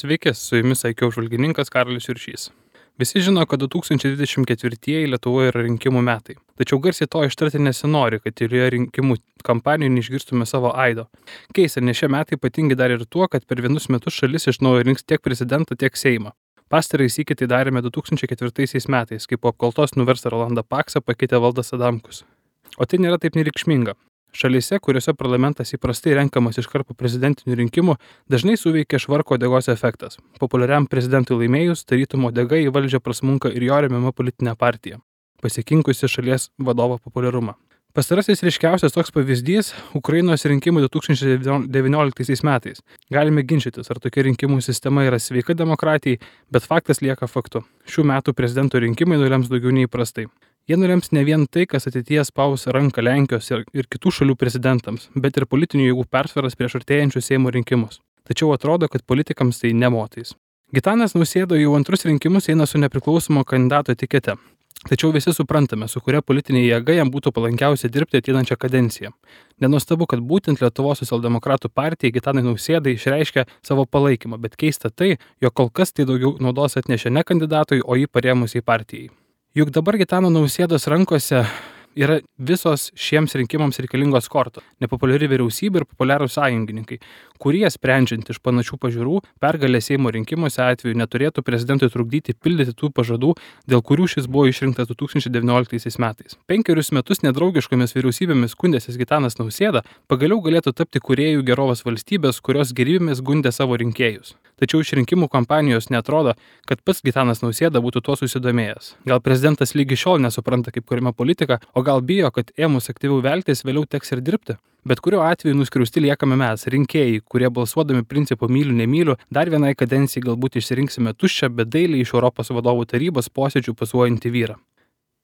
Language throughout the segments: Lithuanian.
Sveiki, su jumis IQ apžvalgininkas Karolis Juršys. Visi žino, kad 2024 Lietuvoje yra rinkimų metai. Tačiau garsiai to ištarti nesinori, kad tylioje rinkimų kampanijoje neišgirstume savo aido. Keista, nes šie metai ypatingi dar ir tuo, kad per vienus metus šalis iš naujo rinks tiek prezidentą, tiek Seimą. Pastarąjį sykį tai darėme 2004 metais, kai po apkaltos nuverstą Rolandą Paksą pakeitė Valdas Adamkus. O tai nėra taip nereikšminga. Šalyse, kuriuose parlamentas įprastai renkamas iškart po prezidentinių rinkimų, dažnai suveikia švarko uodegos efektas. Populiariam prezidentui laimėjus, tarytum uodega į valdžią prasmunka ir jo remiama politinė partija, pasikinkusi šalies vadovo populiarumą. Pastarasis ryškiausias toks pavyzdys – Ukrainos rinkimai 2019 metais. Galime ginčytis, ar tokia rinkimų sistema yra sveika demokratijai, bet faktas lieka faktu. Šių metų prezidento rinkimai nulems daugiau neįprastai. Jie nulems ne vien tai, kas ateityje spaus ranką Lenkijos ir kitų šalių prezidentams, bet ir politinių jėgų persvaras prieš artėjančius Seimo rinkimus. Tačiau atrodo, kad politikams tai nemotais. Gitanas Nausėda jau antrus rinkimus eina su nepriklausomo kandidato etikete. Tačiau visi suprantame, su kuria politinė jėga jam būtų palankiausia dirbti ateinančią kadenciją. Nenuostabu, kad būtent Lietuvos socialdemokratų partija Gitanui Nausėdai išreiškia savo palaikymą, bet keista tai, jog kol kas tai daugiau naudos atnešė ne kandidatui, o jį parėmusiai partijai. Juk dabar Gitano Nausėdos rankose yra visos šiems rinkimams reikalingos kortos – nepopuliari vyriausybė ir populiarūs sąjungininkai, kurie, sprendžiant iš panašių pažiūrų, pergalė Seimo rinkimuose atveju neturėtų prezidentui trukdyti pildyti tų pažadų, dėl kurių šis buvo išrinktas 2019 metais. 5 metus nedraugiškomis vyriausybėmis skundęsis Gitanas Nausėda pagaliau galėtų tapti kūrėjų gerovės valstybės, kurios gerybėmis gundė savo rinkėjus. Tačiau iš rinkimų kampanijos neatrodo, kad pats Gitanas Nausėda būtų tuo susidomėjęs. Gal prezidentas lygi šiol nesupranta, kaip kuriama politika, o gal bijo, kad ėmus aktyviau veltis vėliau teks ir dirbti. Bet kuriuo atveju nuskriausti liekame mes, rinkėjai, kurie balsuodami principu myliu, nemyliu, dar vienai kadencijai galbūt išsirinksime tuščią, bet dailiai iš Europos vadovų tarybos posėdžių pasuojantį vyrą.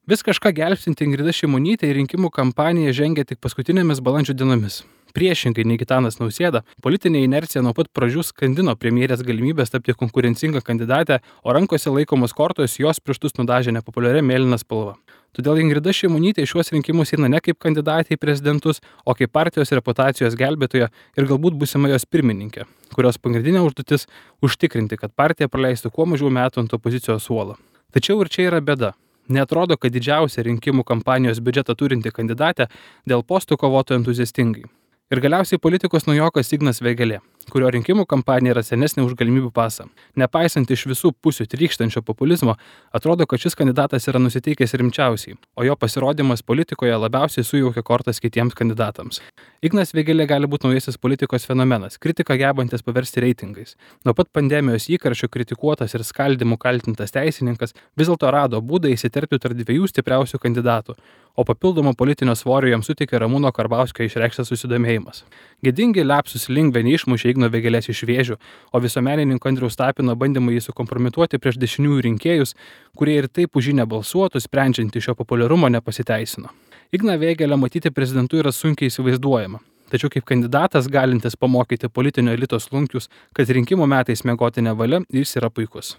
Vis kažką gelbstinti Ingrida Šimonytė į rinkimų kampaniją žengia tik paskutinėmis balandžio dienomis. Priešingai nei Gitanas Nausėda, politinė inercija nuo pat pradžių skandino premjerės galimybės tapti konkurencingą kandidatę, o rankose laikomos kortos jos pirštus nudažė nepopuliaria mėlyna spalva. Todėl Ingrida Šimonytė šiuos rinkimus eina ne kaip kandidatė į prezidentus, o kaip partijos reputacijos gelbėtoja ir galbūt būsima jos pirmininkė, kurios pagrindinė užduotis – užtikrinti, kad partija praleistų kuo mažiau metų ant opozicijos suolo. Tačiau ir čia yra bėda. Neatrodo, kad didžiausia rinkimų kampanijos biudžetą turinti kandidatė dėl postų kovotų entuziastingai. Ir galiausiai politikos naujokas Ignas Vėgėlė, kurio rinkimų kampanija yra senesnė už galimybių pasą. Nepaisant iš visų pusių trykštančio populizmo, atrodo, kad šis kandidatas yra nusiteikęs rimčiausiai, o jo pasirodymas politikoje labiausiai sujaukia kortas kitiems kandidatams. Ignas Vėgėlė gali būti naujasis politikos fenomenas, kritiką gebantis paversti reitingais. Nuo pat pandemijos įkarščio kritikuotas ir skaldymu kaltintas teisininkas vis dėlto rado būdą įsiterpti tarp dviejų stipriausių kandidatų, o papildomo politinio svorio jam suteikė Ramūno Karbauskio išreikštas susidomėjimas. Gėdingi liapsus lingve neišmušė Igno Vėgėlės iš vėžių, o visuomenininko Andriaus Tapino bandymai jį sukompromituoti prieš dešiniųjų rinkėjus, kurie ir taip už jį nebalsuotų, sprendžiant iš jo populiarumo nepasiteisino. Igną Vėgėlę matyti prezidentu yra sunkiai įsivaizduojama. Tačiau kaip kandidatas galintis pamokyti politinio elito slunkius, kad rinkimų metais miegoti nevalia, jis yra puikus.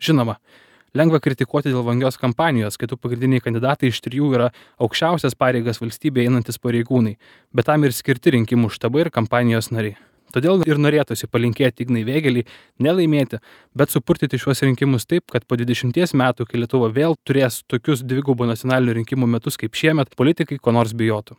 Žinoma, lengva kritikuoti dėl vangios kampanijos, kai tų pagrindiniai kandidatai iš 3 yra aukščiausias pareigas valstybėje einantis pareigūnai, bet tam ir skirti rinkimų štabai ir kampanijos nariai. Todėl ir norėtųsi palinkėti Ignai Vėgėlei nelaimėti, bet supurtyti šiuos rinkimus taip, kad po 20 metų, kai Lietuva vėl turės tokius dvigubų nacionalinių rinkimų metus kaip šiemet, politikai ko nors bijotų.